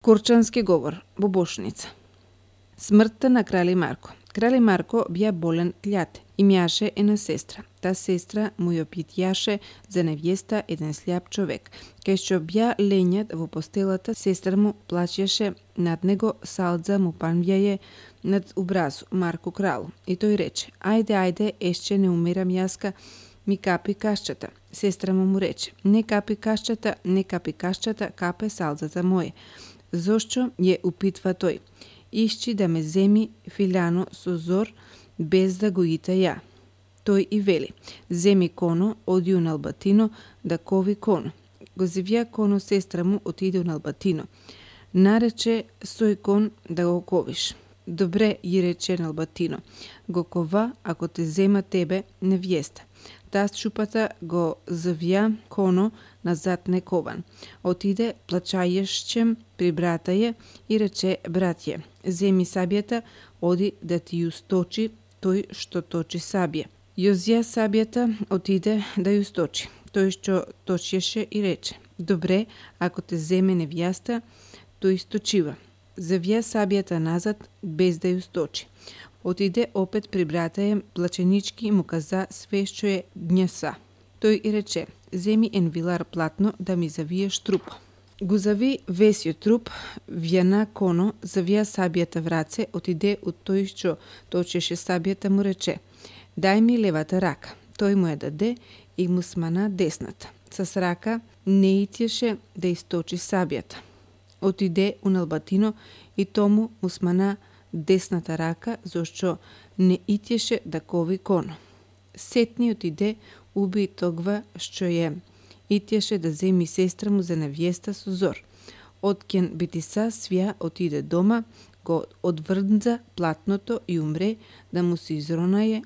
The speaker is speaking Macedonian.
Корчански говор во Бошница. Смртта на кралј Марко. Кралј Марко бија болен љад, имаше една сестра. Та сестра му ја питјаше за невјеста еден сљап човек. Кај што бја лењат во постелата, сестра му плачеше над него, салдза му панвјаје над образу Марко кралу. И тој рече: ајде, ешće не умирам јаска, ми капи кашчата. Сестра му рече: не капи кашчата, капе салдзата моје. Зошто ја упитва тој? Ишчи да ме земи филяно со зор, без да го ита ја. Тој и вели: земи коно, оди у Албатино, да кови коно. Го зевја коно, сестра му отиде у Албатино. Нарече сој кон да го ковиш. Добре, ја рече Албатино, го кова ако те зема тебе невјеста. Таа шупата го завја коно назад некован. Отиде плачајешчем при брата ја и рече: братје, земи сабјата, оди да ти ја сточи тој што точи сабја. Ја зја сабјата, отиде да ја сточи. Тој што точеше и рече: добре, ако те земе невјаста, тој сточива. Завја сабјата назад без да ја сточи. Отиде опет при брата ја, плаченички му каза све што е дњеса. Тој и рече: земи ен вилар платно да ми завиеш трупо. Го зави весиот труп, вјана коно, завија сабјата в раце, отиде од тој што точеше сабјата, му рече: дај ми левата рака. Тој му ја даде и му смана десната. С рака не итјеше да источи сабјата. Отиде у Албатино и тому му смана десната рака, зашто не итјеше да кови коно. Сетни отиде, уби тогва што ја итјеше да земи сестра му за невјеста со зор. Откен битиса свја отиде дома, го одврдза платното и умре, да му се изронае